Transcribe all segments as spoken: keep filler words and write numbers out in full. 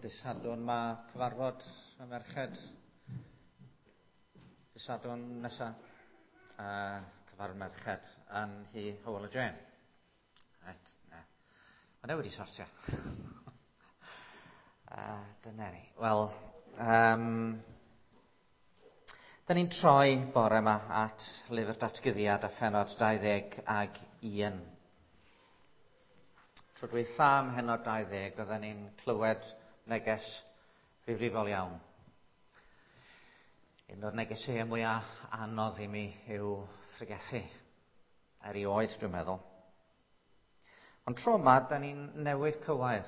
Dydd Sadwrn mae cyfarfod y merched. Dydd Sadwrn nesa, uh, cyfarfod merched yn hi Hywel a Jane. Right, na. Mae e wedi sortio. uh, dyna ni. Wel, um, da ni'n troi bore yma at lyfr datguddiad a phenod dau ddeg ag un. Tro dwytha ym mhennod dau ddeg, oedden ni'n clywed neges ddifrifol iawn. Un o'r negeseuau mwyaf anodd i mi yw phregethu. Erioed, dwi'n meddwl. Ond tro yma, da ni'n newid cywair.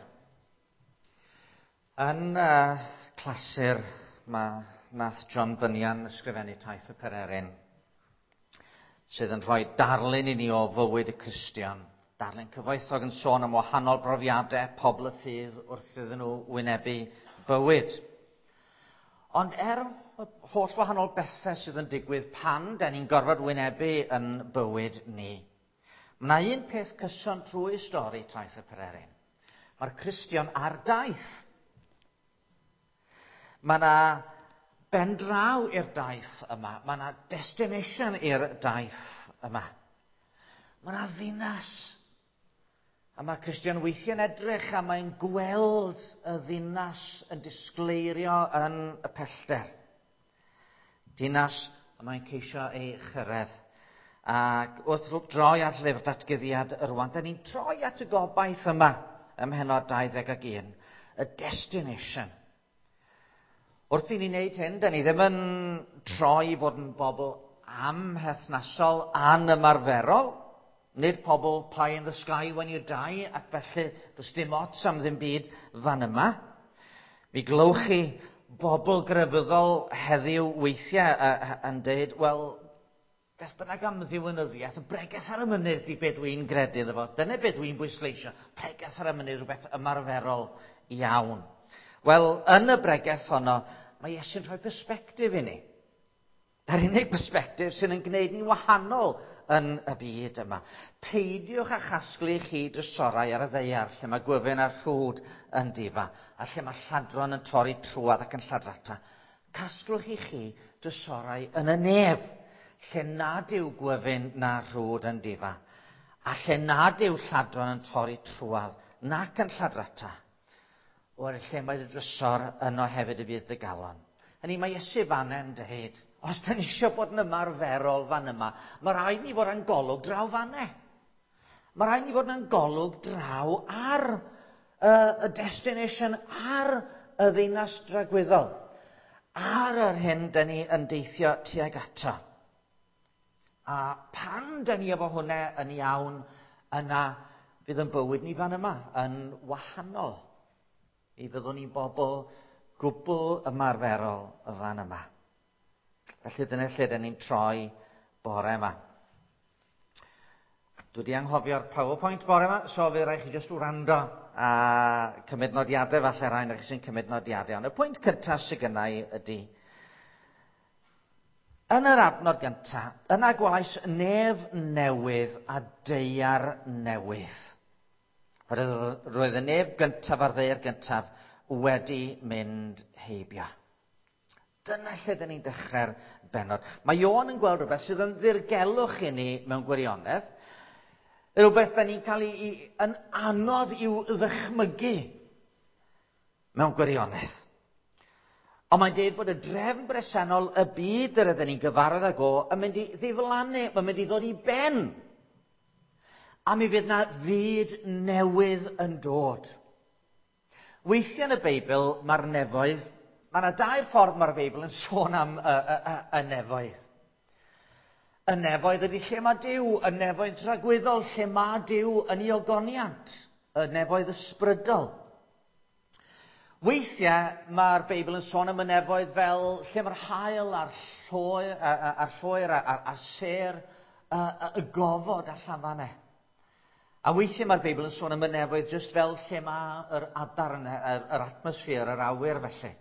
Yn uh, clasur mae nath John Bunyan ysgrifennu Taith y Pererin, sydd yn rhoi darlun i ni o fywyd y Cristion. Darlun cyfoethog yn sôn am wahanol brofiadau pobl y ffydd wrth iddyn nhw wynebu bywyd. Ond er y holl wahanol bethau sydd yn digwydd pan da ni'n gorfod wynebu yn bywyd ni, mae yna un peth cyson trwy stori Taith y Pererin. Mae'r Cristion ar daith. Mae yna ben draw i'r daith yma. Mae yna destination i'r daith yma. Mae yna ddinas. A mae Cristion weithiau'n edrych a mae'n gweld y ddinas yn disgleirio yn y pellter. Dinas y mae'n ceisio ei chyrraedd. Ac wrth droi at lyfr datguddiad rwan, da ni'n troi at y gobaith yma ym mhennod dau ddeg ag un, y destination. Wrth i ni wneud hyn, da ni ddim yn troi i fod yn bobl amherthnasol, anymarferol, nid pobl pie in the sky when you die, ac felly does dim ots am ddim byd fan yma. Mi glywch chi bobl grefyddol heddiw weithiau uh, yn dweud, wel, beth bynnag am ddiwinyddiaeth, y bregeth ar y mynydd di be dwi'n gredu iddo fo. Dyna be dwi'n bwysleisio, pregeth ar y mynydd, rhywbeth ymarferol iawn. Wel, yn y bregeth honno, mae Iesu'n rhoi persbectif i ni. Yr unig persbectif sy'n yn gwneud ni'n wahanol yn y byd yma. Peidiwch â chasglu chi drysorau ar y ddaear, lle mae gwyfyn a rhwd yn difa, a lle mae lladron yn torri trwad ac yn lladrata. Casglwch i chi drysorau yn y nef, lle nad yw gwyfyn na rhwd yn difa, a lle nad yw lladron yn torri trwad nac yn lladrata. O'r lle mae'r drysor yno hefyd y bydd dy galon. Hynny mae Iesu fan yn dweud, os da ni eisiau bod yn ymarferol fan yma, mae rhaid ni fod yn golwg draw fanne. Mae rhaid ni fod yn golwg draw ar uh, y destination, ar y ddinas dragwyddol, ar yr hyn da ni yn deithio tuag ato. A pan da ni efo hwnna yn iawn, yna fydd yn bywyd ni fan yma yn wahanol. Mi fyddwn ni'n bobl gwbl ymarferol y fan yma. Felly dyna lle dyn ni'n troi bore yma. Dwi wedi anghofio'r PowerPoint bore yma, so fe rai chi jyst wrando a cymryd nodiadau, falle rhai o'r chi sy'n cymryd nodiadau. Ond y pwynt cyntaf sydd gynna i ydy, yn yr adnod gyntaf, yna gwelais nef newydd a daear newydd. Roedd y nef gyntaf a'r ddaear gyntaf wedi mynd heibio. Dyna lle dyn ni'n dechrau'r bennod. Mae Ioan yn gweld rhywbeth sydd yn ddirgelwch i ni mewn gwirionedd. Rhywbeth dyn ni'n cael ei, yn anodd i'w ddychmygu mewn gwirionedd. Ond mae'n dweud bod y drefn bresennol y byd yr ydyn ni'n gyfarwydd ag o yn mynd i ddiflannu, mae'n mynd i ddod i ben. A mi fydd na fyd newydd yn dod. Weithiau yn y Beibl, mae'r nefoedd, mae yna dair ffordd mae'r Beibl yn sôn am y, y, y, y nefoedd. Y nefoedd ydy lle mae Duw, y nefoedd dragwyddol, lle mae Duw yn ei ogoniant, y nefoedd ysbrydol. Weithiau mae'r Beibl yn sôn am y nefoedd fel lle mae'r haul a'r lloer, a'r lloer a'r, a'r sêr, y, y, y gofod allan fan e. A weithiau mae'r Beibl yn sôn am y nefoedd jyst fel lle mae'r adar, yn, yr, yr atmosffer, yr awyr felly.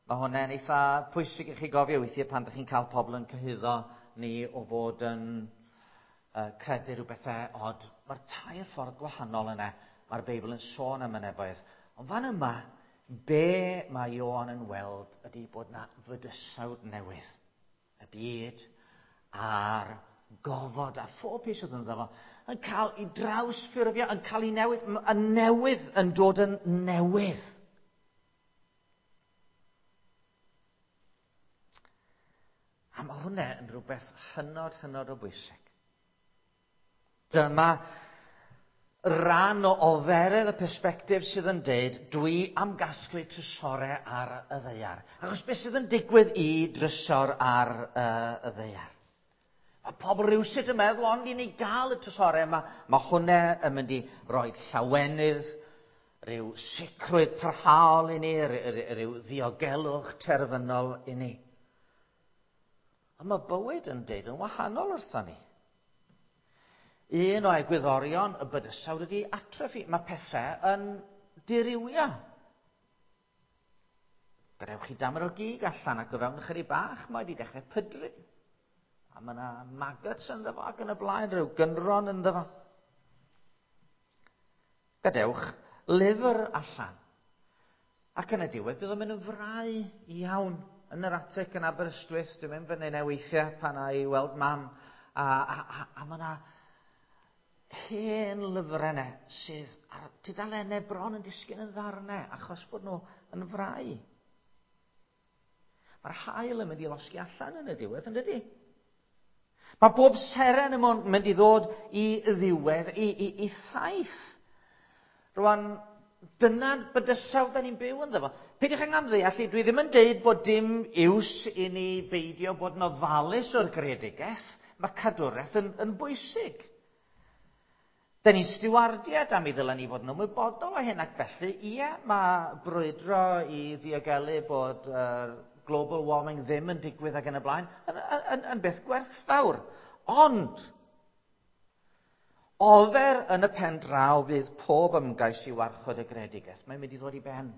Mae hwnna'n eitha pwysig i chi gofio weithiau pan ydych chi'n cael pobl yn cyhuddo ni o fod yn uh, credu rhyw bethau od. Mae'r tair ffordd gwahanol yna, mae'r Beibl yn sôn am y nefoedd. Ond fan yma, Be mae Ioan yn weld ydy bod na fydysawd newydd. Y byd a'r gofod a phob peth sydd ynddo fo yn cael ei drawsffurfio, yn cael ei newid, y newydd yn dod yn newydd. A mae hwnna yn rhywbeth hynod, hynod o bwysig. Dyma ran o oferedd y persbectif sydd yn deud, dwi am gasglu trysorau ar y ddaear. Achos beth sydd yn digwydd i drysor ar uh, y ddaear? Mae pobl rywsut yn meddwl, ond i ni gael y trysorau yma, mae hwnna yn mynd i roi llawenydd, rhyw sicrwydd parhaol i ni, rhyw ddiogelwch terfynol i ni. Ond mae bywyd yn deud yn wahanol wrthon ni. Un o egwyddorion y bydysawd ydy atrophy. Mae pethau yn dirywio. Gadewch chi damer o gig allan ac o fewn ychydig bach mae wedi dechrau pydru. A mae yna maggots ynddo fo ac yn y blaen, rhyw gynron ynddo fo. Gadewch lyfr allan. Ac yn y diwedd bydd o'n mynd yn frau iawn yn yr atig yn Aberystwyth. Dwi'n mynd fyny yna weithiau pan a i weld mam. A, a, a, a mae yna hen lyfrau yna sydd ar tudalennau bron yn disgyn yn ddarnau achos bod nhw yn frau. Mae'r haul yn mynd i losgi allan yn y diwedd, yn dydi? Mae bob seren yn mynd i ddod i ddiwedd, i, i, i thaith. Rwan, dyna'r bydysawd da ni'n byw ynddo fo. Peidiwch ag amddeall, dwi ddim yn deud bod dim iws i ni beidio bod yn ofalus o'r greadigaeth. Mae cadwraeth yn, yn bwysig. Da ni'n stiwardiad am i ddylen ni fod yn ymwybodol o hyn ac felly, ie, mae brwydro i ddiogelu bod uh, global warming ddim yn digwydd ac yn y blaen, yn, yn, yn beth gwerthfawr. Ond, ofer yn y pen draw fydd pob ymgais i warchod y greadigaeth. Mae'n mynd i ddod i ben.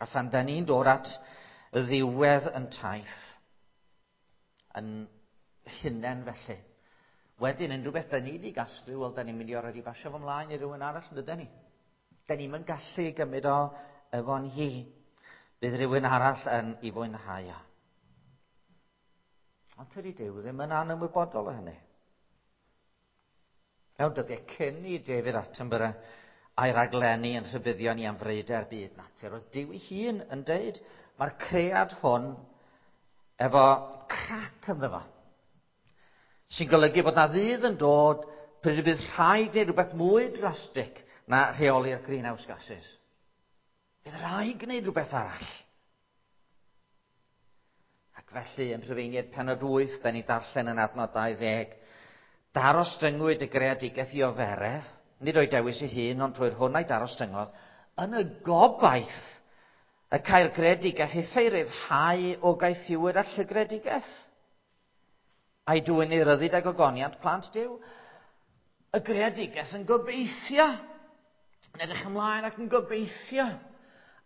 A phan da ni'n dod at ddiwedd yn taith, yn hunain felly, wedyn unrhyw beth da ni wedi gasglu, wel, da ni'n mynd i orfod i basio fo ymlaen i rywun arall, yn dydyn ni? Da ni'm yn gallu gymryd o efo'n hi. Bydd rhywun arall yn ei fwynhau o. Ond tydi Duw ddim yn anymwybodol o hynny. Mewn dyddiau cyn i David Attenborough a'i raglenni yn rhybuddio ni am freuder byd natur, oedd Duw ei hun yn deud, mae'r cread hwn efo crac ynddo fo, sy'n golygu bod na ddydd yn dod pryd y bydd rhaid gwneud rhywbeth mwy drastig na rheoli'r greenhouse gases. Bydd rhaid gwneud rhywbeth arall. Ac felly, yn Rhufeiniaid pennod wyth, da ni darllen yn adnod dau ddeg, darostyngwyd y greadigaeth i oferedd, nid o'i dewis ei hun, ond trwy'r hwn a'i darostyngodd, yn y gobaith y cael greadigaeth ei ryddhau o gaethiwed a llygredigaeth, a'i dwyn i ryddid ag ogoniant plant Duw. Y greadigaeth yn gobeithio, yn edrych ymlaen ac yn gobeithio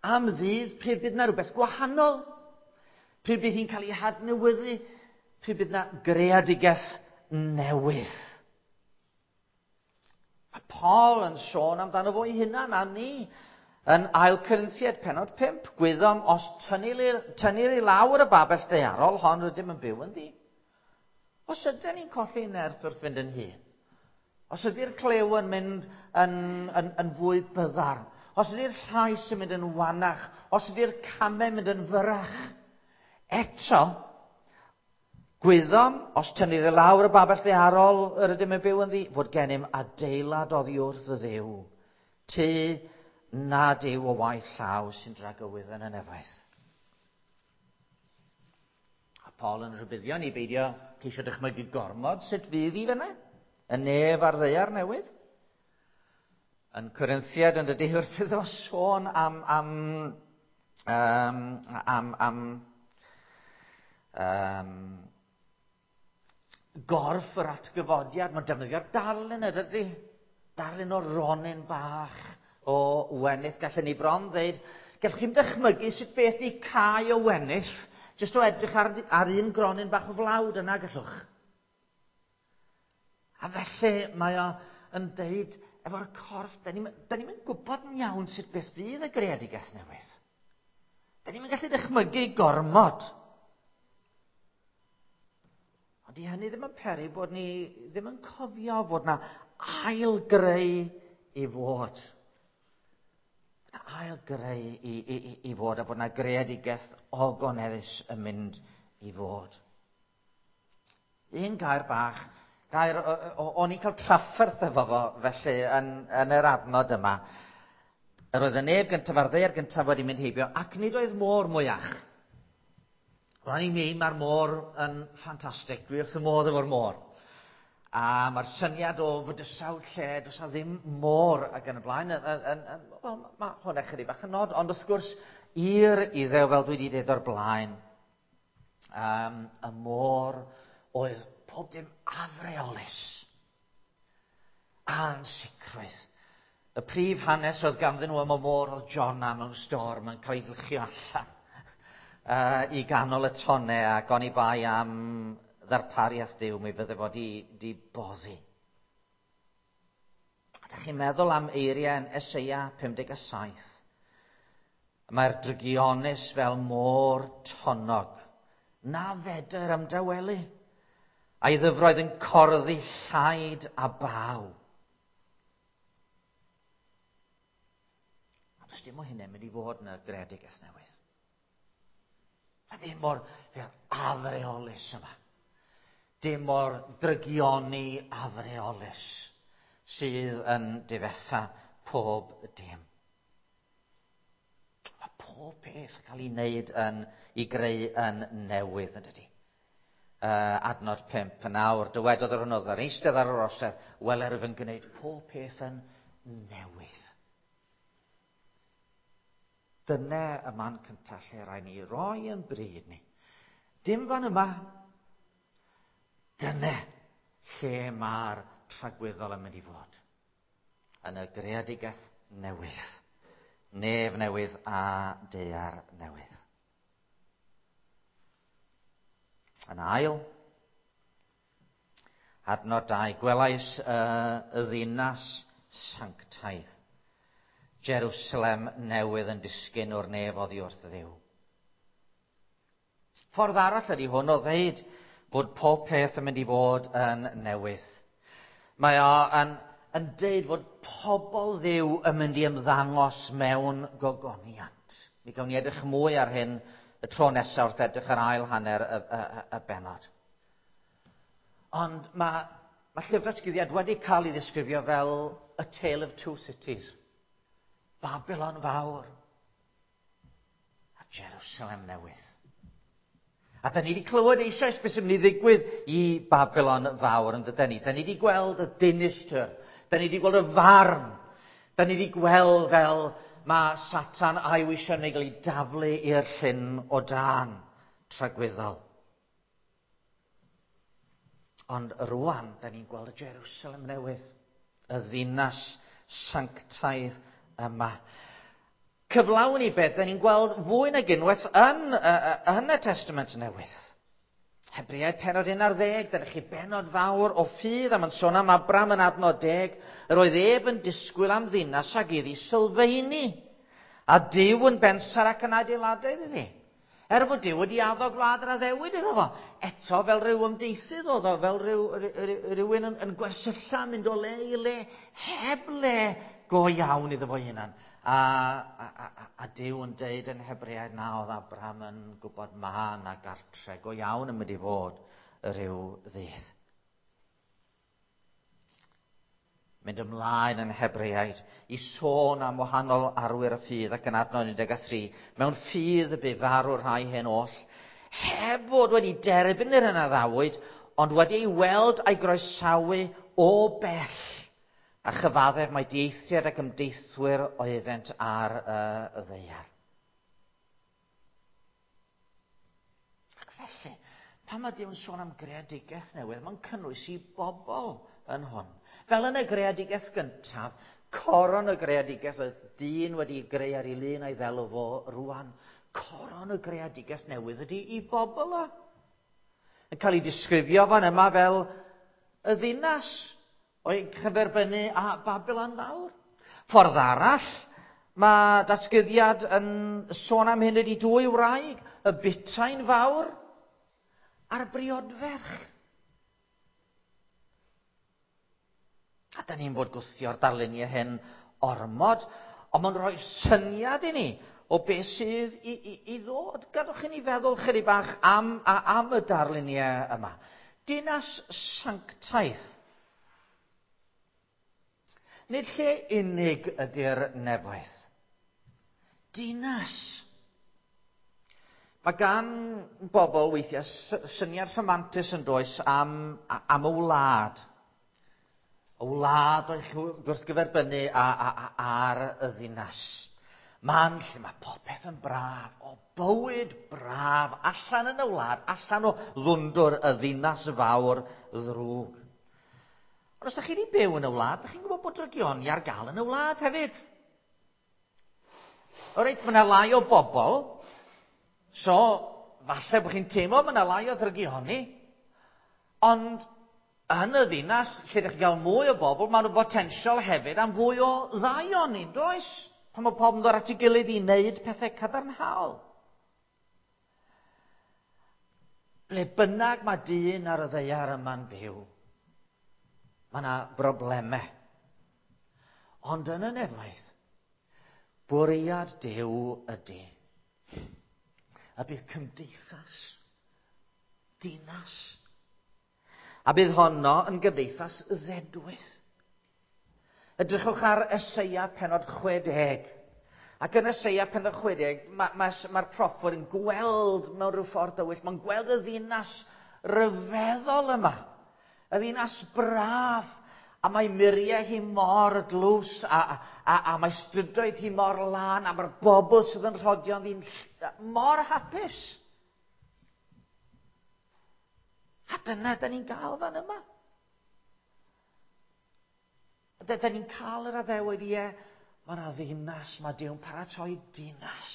am ddydd pryd bydd na rhywbeth gwahanol, pryd bydd hi'n cael ei hadnewyddu, pryd bydd na greadigaeth newydd. Mae Paul yn sôn amdano fo ei hunan a ni yn Ail Corinthiaid pennod pump. Gwyddom os tynnir, tynnir i lawr y babell daearol hon rydym yn byw ynddi. Os ydyn ni'n colli nerth wrth fynd yn hŷn, os ydy'r clyw yn mynd yn, yn, yn fwy byddar, os ydy'r llais yn mynd yn wanach, os ydy'r camau yn mynd yn fyrrach, eto, gwyddom, os tynnir i lawr y babell ddaearol yr ydym yn byw ynddi, fod gennym adeilad oddi wrth y Dduw, tŷ nad yw o waith llaw sy'n dragywydd yn y nefoedd. A Paul yn rhybuddio ni beidio ceisio dychmygu gormod sut fydd i fyna, y nef a'r ddaear newydd. Yn Corinthiaid yn dydy wrth iddo sôn am, am, um, am, am um, gorff yr atgyfodiad. Mae'n defnyddio'r darlun y dydy. Darlun o ronyn bach o wenith. Gallen ni bron ddeud, gallwch chi'm dychmygu sut beth i cae o wenith, jyst o edrych ar, ar un gronyn bach o flawd yna gallwch. A felly mae o yn deud, efo'r corff, da ni'n ni gwybod yn iawn sut beth fydd y greadigaeth newydd. Da ni'n gallu dychmygu gormod. Ond di hynny ddim yn peri bod ni ddim yn cofio fod na ail greu i fod. Na ail greu i, i, i, i fod a bod na greadigaeth ogoneddus yn mynd i fod. Un gair bach, gair o'n i'n cael trafferth efo fo felly yn, yn yr adnod yma. Yr oedd y neb gyntaf a'r ddaear gyntaf wedi mynd heibio ac nid oedd môr mwyach. Rwan i mi, mae'r môr yn ffantastig. Dwi wrth y modd efo'r môr. A mae'r syniad o fydysawd lle does na ddim môr ac yn y blaen, yn, yn, yn, wel, mae hwnna chydig bach yn nod, ond wrth gwrs, i'r Iddew, fel dwi wedi dweud o'r blaen, um, y môr oedd pob dim afreolus, ansicrwydd. Y prif hanes oedd ganddyn nhw am y môr oedd Jonah mewn storm yn cael ei fwlchio allan uh, i ganol y tonnau, ac oni bai am ddarpariaeth Duw, mi fydde fo di, di boddi. A da chi'n meddwl am eiriau yn Eseia pum deg saith. Mae'r drygionus fel môr tonnog, na fedr ymdawelu, a'i ddyfroedd yn corddi llaid a baw. A does dim o hynny'n mynd i fod yn y greadigaeth newydd. A ddim o'r afreolus yma. Dim o'r drygioni afreolus sydd yn difetha pob dim. Mae pob peth yn cael ei wneud yn, i greu yn newydd, yn dydy. Uh, adnod pump yn awr, dywedodd yr hwn oedd yn eistedd ar yr orsedd, weler ef yn gwneud pob peth yn newydd. Dyna y man cyntaf lle rhaid ni roi yn bryd ni. Dim fan yma. Dyna lle mae'r tragwyddol yn mynd i fod. Yn y greadigaeth newydd. Nef newydd a daear newydd. Yn ail, adnod dau, gwelais uh, y ddinas sanctaidd, Jerusalem newydd yn disgyn o'r nef oddi wrth Dduw. Ffordd arall ydy hwn o ddeud bod pob peth yn mynd i fod yn newydd. Mae o yn, yn deud fod pobl Dduw yn mynd i ymddangos mewn gogoniant. Mi gawn ni edrych mwy ar hyn y tro nesaf wrth edrych ar ail hanner y, y, y, y bennod. Ond mae, mae Llyfr Datguddiad wedi cael ei ddisgrifio fel a tale of two cities. Babylon fawr a Jerusalem newydd. A da ni wedi clywed eisoes beth sy'n mynd i ddigwydd i Babylon fawr, yn dydyn ni. Da ni wedi gweld y dinistr, da ni wedi gweld y farn, da ni wedi gweld fel mae Satan a'i weision yn cael ei daflu i'r llyn o dân tragwyddol. Ond rwan, da ni'n gweld y Jerusalem newydd, y ddinas sanctaidd yma. Cyflawn i beth, da ni'n gweld fwy nag unwaith yn, yn y Testament Newydd. Hebreaid penod un ar ddeg, da chi benod fawr o ffydd, a mae'n sôn am Abram yn adnod deg, yr oedd ef yn disgwyl am ddinas ag iddi sylfaeni, a Duw yn bensar ac yn adeiladau iddi. Er fod Duw wedi addo gwlad yr addewid iddo fo, eto fel rhyw ymdeithydd oedd o, fel rhyw, rhywun yn, yn gwersylla, mynd o le i le, heb le go iawn iddo fo hunan. A, a, a, a Duw yn deud yn Hebreaid na oedd Abraham yn gwybod ma na gartre go iawn yn mynd i fod rhyw ddydd. Mynd ymlaen yn Hebreaid i sôn am wahanol arwyr y ffydd ac yn adnod un deg tri. Mewn ffydd y bu farw rhai hyn oll, heb fod wedi derbyn yr hyn a addawyd, ond wedi ei weld a'i groesawu o bell, a chyfaddef mai dieithriad ac ymdeithwyr oeddent ar y ddaear. Ac felly, pan mae Duw yn sôn am greadigaeth newydd, mae'n cynnwys i bobl yn hwn. Fel yn y greadigaeth gyntaf, coron y greadigaeth oedd dyn wedi greu ar ei lun a'i ddelw fo rwan. Coron y greadigaeth newydd ydy i bobl o. Yn cael ei disgrifio fan yma fel y ddinas. O'i cyferbynnu â Babilon Fawr. Ffordd arall, mae datguddiad yn sôn am hyn ydy dwy wraig, y butain fawr a'r briodferch. A da ni'n fod gwthio'r darluniau hyn ormod, ond mae'n rhoi syniad i ni o beth sydd i, i, i ddod. Gadwch i ni feddwl chydig bach am, a, am y darluniau yma. Dinas sanctaidd. Nid lle unig ydy'r nefoedd. Dinas. Mae gan bobl weithiau syniad rhamantus yn does am, am y wlad. Y wlad o'i gwrthgyferbynnu ar y ddinas. Man lle mae popeth yn braf, o bywyd braf, allan yn y wlad, allan o ddwndwr y ddinas fawr ddrwg. Ond os ydych chi wedi byw yn y wlad, ydych chi'n gwybod bod drygioni ar gael yn y wlad hefyd. O reit, mae yna lai o bobl, so falle bod chi'n teimlo mae yna lai o ddrygioni, ond yn y ddinas, lle ydych chi'n cael mwy o bobl, mae yna botensial hefyd am fwy o ddaioni, does? Pan mae pobl yn dod at ei gilydd i wneud pethau cadarnhaol. Ble bynnag mae dyn ar y ddaear yma'n byw, mae yna broblemau. Ond yn y nefoedd, bwriad Duw ydy. A bydd cymdeithas, dinas. A bydd honno yn gymdeithas ddedwydd. Edrychwch ar Eseia pennod chwe deg. Ac yn Eseia pennod chwe deg, mae'r ma, ma proffwyd yn gweld mewn rhyw ffordd dywyll, mae'n gweld y ddinas ryfeddol yma. Y ddinas braf, a mae muriau hi mor dlws, a, a, a mae strydoedd hi mor lân, a mae'r bobl sydd yn rhodio'n ddyn mor hapus. A dyna da ni'n gael fan yma. Da, da ni'n cael yr addewid, ie, mae yna ddinas, mae Duw'n paratoi dinas,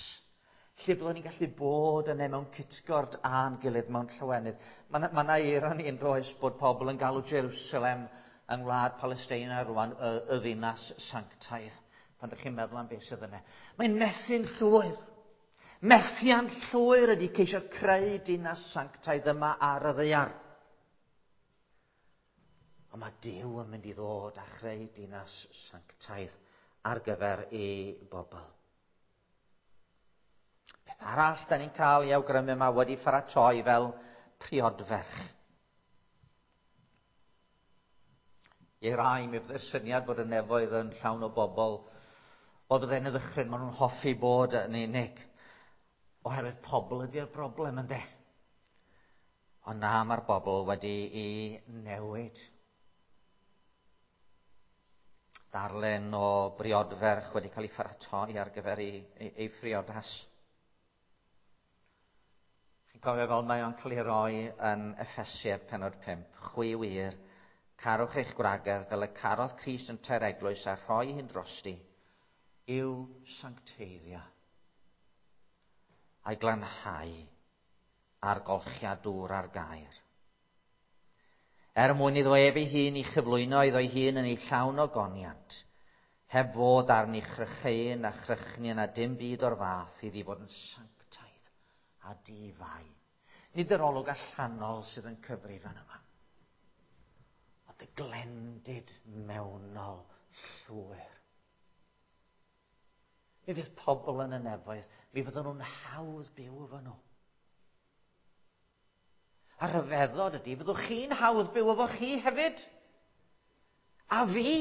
lle byddwn ni'n gallu bod yna mewn cytgord a'n gilydd mewn llawenydd. Mae yna ma ironi yn does bod pobl yn galw Jerusalem yng ngwlad Palesteina rwan, y, y ddinas sanctaidd, pan ydych chi'n meddwl am beth sydd yna. Mae'n methu'n llwyr. Methiant llwyr ydy ceisio creu dinas sanctaidd yma ar y ddaear. Ond mae Duw yn mynd i ddod a chreu dinas sanctaidd ar gyfer ei bobl. Beth arall da ni'n cael ei awgrymu yma wedi pharatoi fel priodferch. I rai, mi fydde'r syniad bod y nefoedd yn llawn o bobl, wel bydde'n y ddychryn, maen nhw'n hoffi bod yn unig. Oherwydd pobl ydy'r broblem, ynde? Ond na, mae'r bobl wedi ei newid. Darlun o briodferch wedi cael ei pharatoi ar gyfer ei, ei, ei phriodas. Chi'n cofio fel mae o'n cael ei roi yn Effesiaid pennod pump. Chwi wir, carwch eich gwragedd fel y carodd Crist yn tair eglwys a rhoi hyn drosti i'w sancteiddio a'i glanhau a'r golchiad dŵr a'r gair. Er mwyn iddo ef ei hun i chyflwyno iddo'i hun yn ei llawn o goniant, heb fod arni chrycheun a chrychni na dim byd o'r fath iddi fod yn sanctaidd a difai. Nid yr olwg allanol sydd yn cyfri fan yma, ond y glendid mewnol llwyr. Mi fydd pobl yn y nefoedd, mi fydden nhw'n hawdd byw efo nhw. A rhyfeddod ydy, fyddwch chi'n hawdd byw efo chi hefyd. A fi.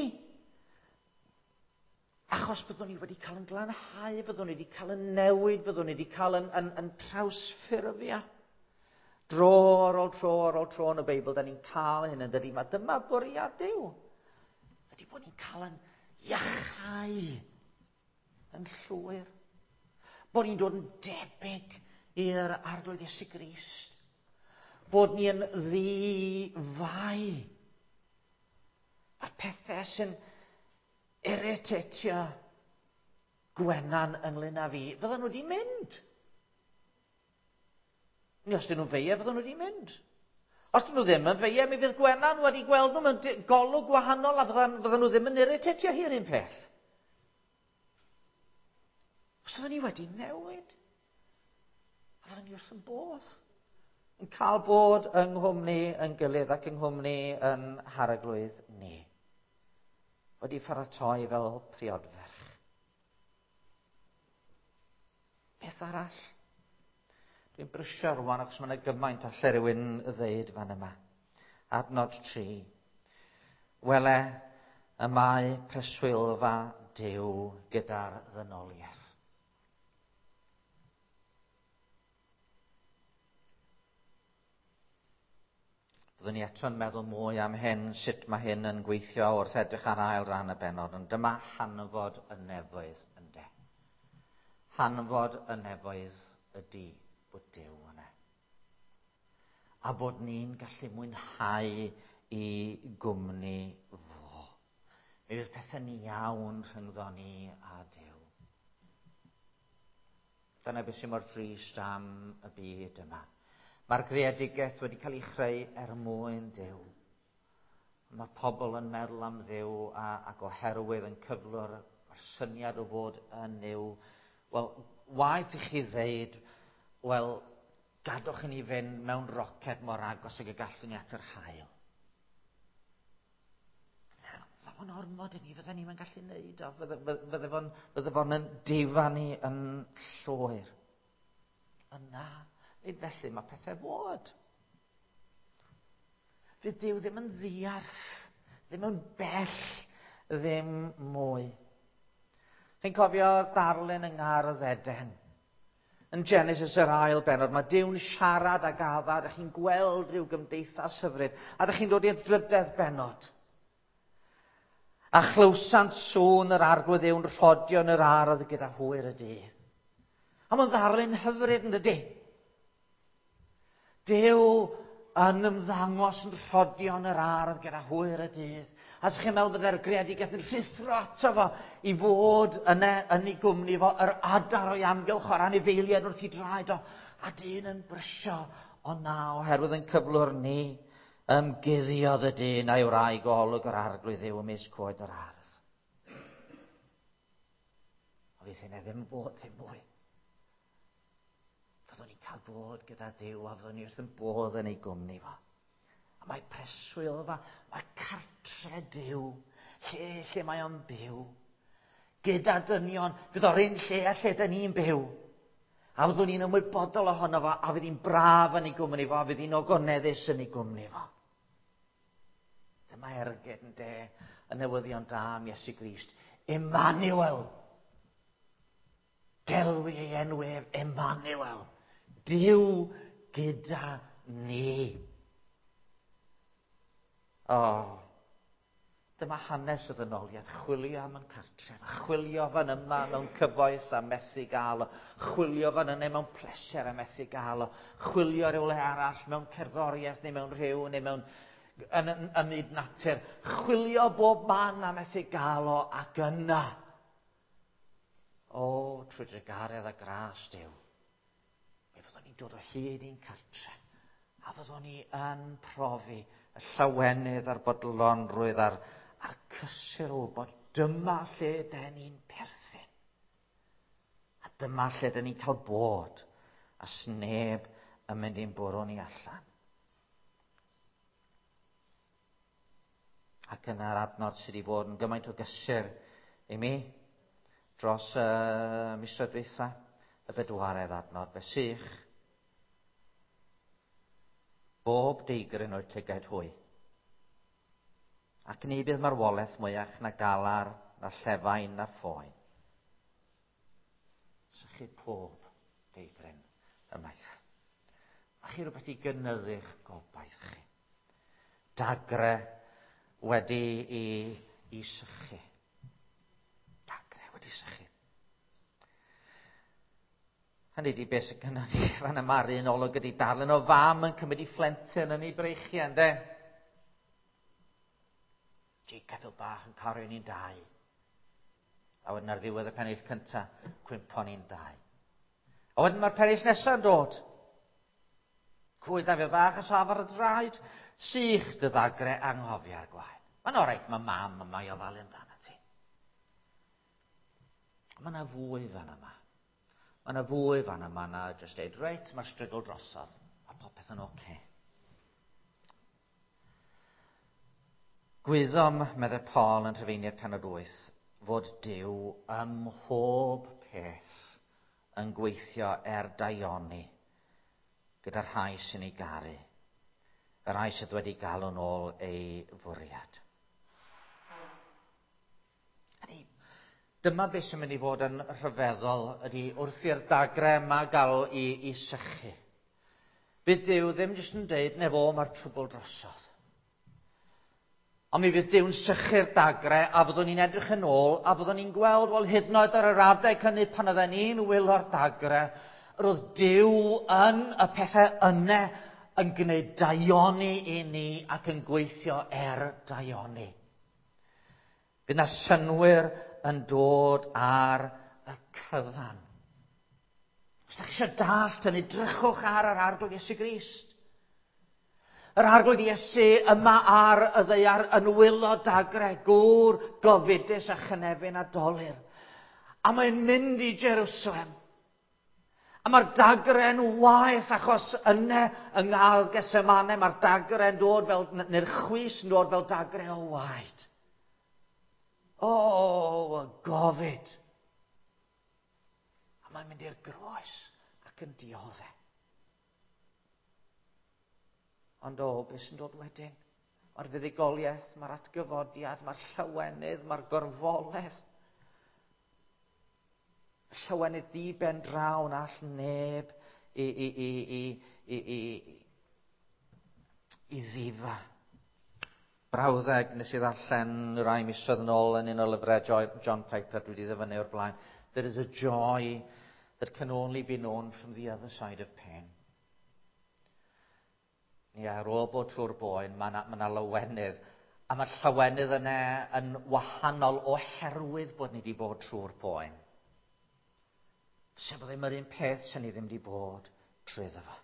Achos byddwn ni wedi cael yn glanhau, byddwn ni wedi cael yn newid, byddwn ni wedi cael yn, yn, yn trawsffurfio. Dro ar ôl tro ar ôl tro yn y Beibl, da ni'n cael hyn yn dydy. Mae dyma bwriad Duw. Ydy bod ni'n cael yn iachau yn llwyr. Bod ni'n dod yn debyg i'r Arglwydd Iesu Grist. Bod ni yn ddi-fai. A'r pethau sy'n irritatio Gwenan ynglyn â fi, fydden nhw wedi mynd. Ni os dyn nhw'n feia, fydden nhw wedi mynd. Os dyn nhw ddim yn feia, mi fydd Gwenan wedi gweld nhw mewn golwg gwahanol a fyddan, fyddan nhw ddim yn irritatio hi'r un peth. Os fydden ni wedi newid, a fydden ni wrth yn bodd, yn cael bod yng nghwmni yn gilydd ac yng nghwmni yn harglwydd ni. Wedi pharatoi fel priodferch. Beth arall? Dwi'n brysio rwan achos mae yna gymaint alle rhywun ddeud fan yma. Adnod tri. Wele, y mae preswylfa Duw gyda'r ddynoliaeth. Byddwn ni eto'n meddwl mwy am hyn, sut mae hyn yn gweithio wrth edrych ar ail ran y bennod, ond dyma hanfod y nefoedd ynde. Hanfod y nefoedd ydy bod Duw yna. A bod ni'n gallu mwynhau i gwmni fo. Mi fydd pethau'n iawn rhyngddo ni a Duw. Dyna beth sy'n mor drist am y byd yma. Mae'r greadigaeth wedi cael ei chreu er mwyn Duw. Mae pobl yn meddwl am Dduw a, ac oherwydd yn cyflwr yr syniad o fod yn Nuw. Wel, waeth i chi ddeud, wel, gadwch i ni fynd mewn roced mor agos ag y gallwn ni at yr haul. Fydde fo'n ormod i ni, fydde ni'n gallu neud o, fydde, fydde fo'n, fydde fo'n yn difa ni yn llwyr. Yna, nid felly mae pethau fod. Fydd Duw ddim yn ddiarth, ddim yn bell, ddim mwy. Chi'n cofio darlun yng Ngardd Eden? Yn Genesis yr ail bennod, mae Duw'n siarad ag Adda, a chi'n gweld rhyw gymdeithas hyfryd, a dych chi'n dod i'r drydedd bennod. A chlywsant sŵn yr Arglwydd Dduw'n rhodio yn yr ardd gyda hwyr y dydd. A mae'n ddarlun hyfryd yn dydy. Duw yn ymddangos yn rhodio yn yr ardd gyda hwyr y dydd. A sa'ch chi'n meddwl byddai'r greadigaeth yn rhuthro ato fo i fod yn, e, yn ei gwmni fo, yr adar o'i amgylch o'r anifeiliaid wrth ei draed o, a dyn yn brysio, o na, oherwydd yn cyflwr ni, ymguddiodd y dyn a'i wraig o olwg yr Arglwydd Dduw ymysg coed yr ardd. O fydd hynny ddim bod ddim mwy. Fyddwn ni'n cael bod gyda Duw a fyddwn ni wrth yn bodd yn ei gwmni fo. A mae preswylfa, mae cartre Duw, lle lle mae o'n byw. Gyda dynion, fydd o'r un lle a lle dyn ni'n byw. A fyddwn ni'n ymwybodol ohono fo, a fydd hi'n braf yn ei gwmni fo, a fydd hi'n ogoneddus yn ei gwmni fo. Dyma ergyd yn de, y newyddion da am Iesu Grist. Emmanuel. Gelwi ei enw ef, Emmanuel. Duw gyda ni. O, oh, dyma hanes y ddynoliaeth, chwilio am yn cartref, a chwilio fan yma mewn cyfoeth a methu gael o, chwilio fan yna mewn pleser a methu gael o, chwilio rhywle arall mewn cerddoriaeth neu mewn rhyw neu mewn yn, yn, ym myd natur, chwilio bob man a methu gael o, ac yna, o, trwy drugaredd a gras Duw, mi fyddwn ni'n dod o hyd i'n cartref, a fyddwn ni yn profi y llawenydd a'r bodlonrwydd a'r, a'r cysur o wybod dyma lle den ni'n perthyn. A dyma lle den ni'n cael bod, a sneb yn mynd i'n bwrw ni allan. Ac yna'r adnod sydd wedi bod yn gymaint o gysur i mi dros y uh, misoedd dwytha, y bedwaredd adnod, fe sych bob deigryn o'i llygaid hwy. Ac ni bydd marwolaeth mwyach na galar, na llefain, na phoen. Sychu pob deigryn ymaith. Mae chi rhywbeth i gynyddu'ch gobaith chi. Dagre wedi i, i sychu. Dagre wedi sychu. Hynny ydi beth sy'n gynnon ni fan yma'r un olwg ydi darlun o fam yn cymryd ei phlentyn yn ei breichiau, ynde? Jacob bach yn cario ni'n dau. A wedyn ar ddiwedd y pennill cynta, cwympo ni'n dau. A wedyn mae'r pennill nesaf yn dod. Cwyd Dafydd bach a saf ar y draed, sych dy ddagre anghofia'r gwaed. Mae'n oreit, mae mam yma i ofalu amdano ti. Mae yna fwy fan yma. Mae yna fwy fan yma na jyst deud, reit, mae'r strygl drosodd, a popeth yn oce. Okay. Gwyddom, meddai Paul yn Rhufeiniaid pennod wyth, fod Duw ym mhob peth yn gweithio er daioni gyda'r rhai sy'n ei garu, y rhai sydd wedi galw'n ôl ei fwriad. Ydy, dyma beth sy'n mynd i fod yn rhyfeddol ydy wrth i'r dagre yma gael i, i sychu. Bydd Duw ddim jyst yn deud, ne fo, mae'r trwbl drosodd. Ond mi fydd Duw'n sychu'r dagre a fyddwn ni'n edrych yn ôl a fyddwn ni'n gweld, wel, hyd yn oed ar yr adeg hynny pan oedden ni'n wylo'r dagre, roedd Duw yn y pethau yna yn gwneud daioni i ni ac yn gweithio er daioni. Bydd na synnwyr yn dod ar y cyfan. Os da chi eisiau dallt hynny, drychwch ar yr Arglwydd Iesu Grist. Yr Arglwydd Iesu yma ar y ddaear yn wylo dagre, gŵr gofidus a chynefin a dolur. A mae'n mynd i Jerusalem. A mae'r dagre'n waeth achos yna yng Ngardd Gethsemane mae'r dagre'n dod fel, neu'r chwys yn dod fel dagre o waed. O, oh, gofid. A mae'n mynd i'r groes ac yn dioddef. Ond o, beth sy'n dod wedyn? Mae'r fuddugoliaeth, mae'r atgyfodiad, mae'r llawenydd, mae'r gorfoledd. Llawenydd di ben draw na all neb i, i, i, i, i, i, i ddifa. Brawddeg nes i ddarllen rai misoedd yn ôl yn un o lyfrau John Piper, dwi wedi ddyfynnu o'r blaen. There is a joy that can only be known from the other side of pain. Ie, ar ôl bod trwy'r boen, mae yna ma na lawenydd. A mae'r llawenydd yna yn wahanol oherwydd bod ni wedi bod trwy'r boen. Sef ddim yr un peth sy'n ni ddim wedi bod trwyddo fo.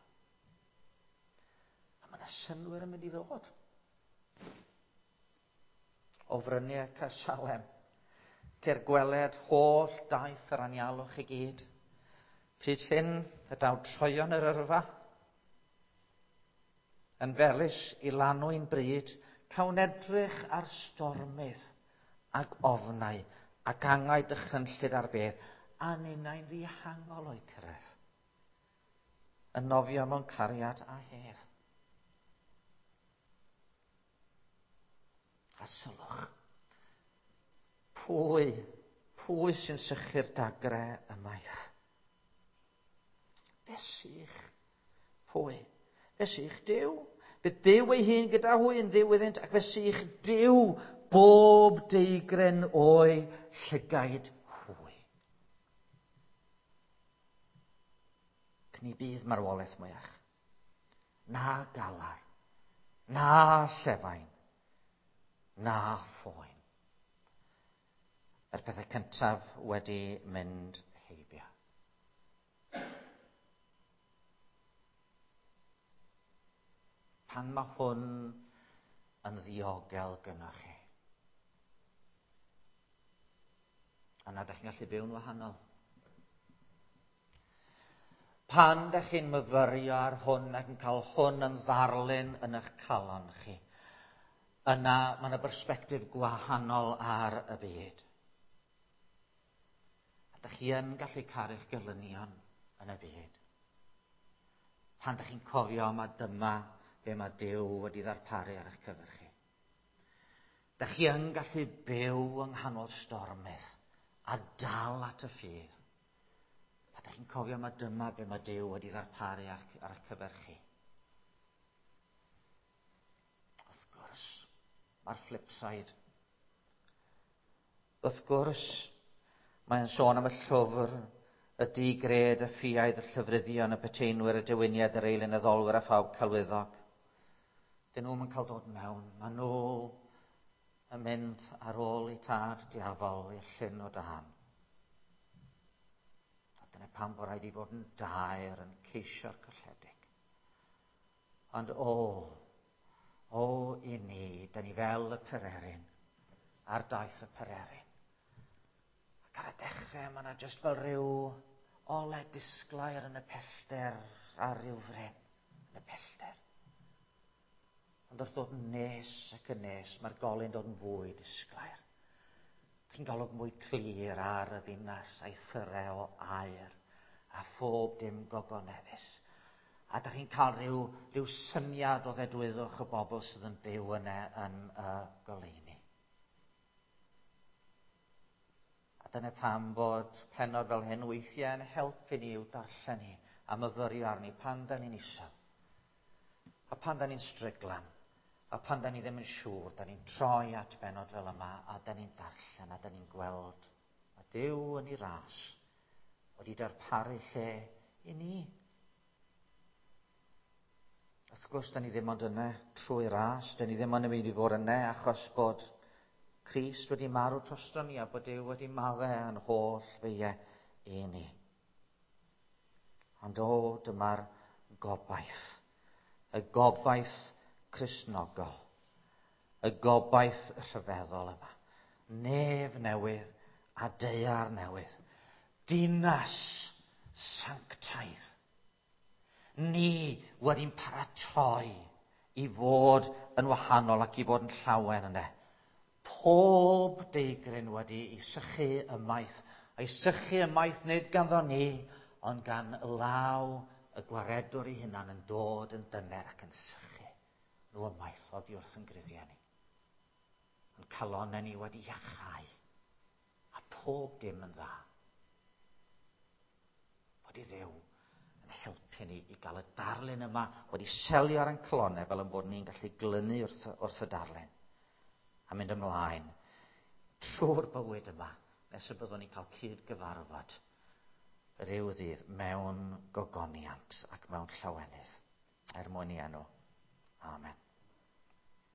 A mae yna synnwyr yn mynd i ddod. O fryniau Caersalem, ceir gweled holl daith yr anialwch i gyd. Pryd hyn y daw troion yr yrfa, yn felys i lanw'n bryd, cawn edrych ar stormydd ac ofnau ac angau dychrynllyd ar beth, a ninnau'n ddihangol o'i cyrraedd. Yn nofio mewn cariad a hedd. A sylwch, pwy, pwy sy'n sychu'r dagre ymaith? Fe sych, pwy? Fe sych Duw. Bydd Duw ei hun gyda hwy yn Dduw iddynt, ac fe sych Duw bob deigren o'i llygaid hwy. Ac ni bydd marwolaeth mwyach, na galar, na llefain, na phoen. Yr pethau cyntaf wedi mynd heibio. Pan mae hwn yn ddiogel gynnwch chi, yna dach chi'n gallu byw'n wahanol. Pan dach chi'n myfyrio ar hwn ac yn cael hwn yn ddarlun yn eich calon chi, yna mae yna bersbectif gwahanol ar y byd. A dach chi yn gallu caru'ch gelynion yn y byd. Pan dach chi'n cofio ma dyma be mae Duw wedi ddarparu ar eich cyfer chi. Dach chi yn gallu byw yng nghanol stormydd a dal at y ffydd. A dach chi'n cofio ma dyma be mae Duw wedi ddarparu ar eich cyfer chi. Wrth gwrs, mae'r flip side. Wrth gwrs, mae'n sôn am y llyfr, y digred, y ffiaidd, y llyfryddion, y peteinwyr, y dewiniad, yr eilunaddolwyr a phawb celwyddog. Dyn nhw'm yn cael dod mewn. Maen nhw yn mynd ar ôl i tad diafol i'r llyn o dân. A dyna pam bod rhaid i fod yn daer yn ceisio'r colledig. Ond o, o i ni, da ni fel y pererin, ar daith y pererin. Ac ar y dechrau, mae yna jyst fel rhyw ole disglair yn y pellter ar ryw fryn yn y pellter. Ond wrth ddod yn nes ac yn nes, mae'r golau'n dod yn fwy disglair. Chi'n golwg mwy clir ar y ddinas a'i thyrau o aur a phob dim gogoneddus. A da chi'n cael rhyw, rhyw syniad o ddedwyddwch y bobl sydd yn byw yna yn y goleuni. A dyna pam bod pennod fel hyn weithiau yn helpu ni i'w darllen ni a myfyrio arni pan da ni'n isel. A pan da ni'n stryglan. A pan da ni ddim yn siŵr, da ni'n troi at bennod fel yma a da ni'n darllen a da ni'n gweld. A Duw yn ei ras wedi darparu lle i ni. Wrth gwrs, da ni ddim ond yna trwy ras, da ni ddim ond yn mynd i fod yna achos bod Crist wedi marw drosto ni a bod Duw wedi maddau yn holl feiau i ni. Ond o, dyma'r gobaith. Y gobaith Cristnogol. Y gobaith rhyfeddol yma. Nef newydd a daear newydd. Dinas sanctaidd. Ni wedi'n paratoi i fod yn wahanol ac i fod yn llawen yna. Pob deigryn wedi ei sychu ymaith. A'i sychu ymaith nid ganddo ni, ond gan law y gwaredwr ei hunan yn dod yn dyner ac yn sychu nhw ymaith oddi wrth yn gruddiau ni. Yn calonnau ni wedi iachau a pob dim yn dda. Wedi Dduw yn helpu ni i gael y darlun yma wedi selio ar ein calonnau fel yn bod ni'n gallu glynu wrth, wrth y darlun a mynd ymlaen trwy'r bywyd yma nes y byddwn ni'n cael cyd-gyfarfod rhyw ddydd mewn gogoniant ac mewn llawenydd er mwyn i enw. Amen.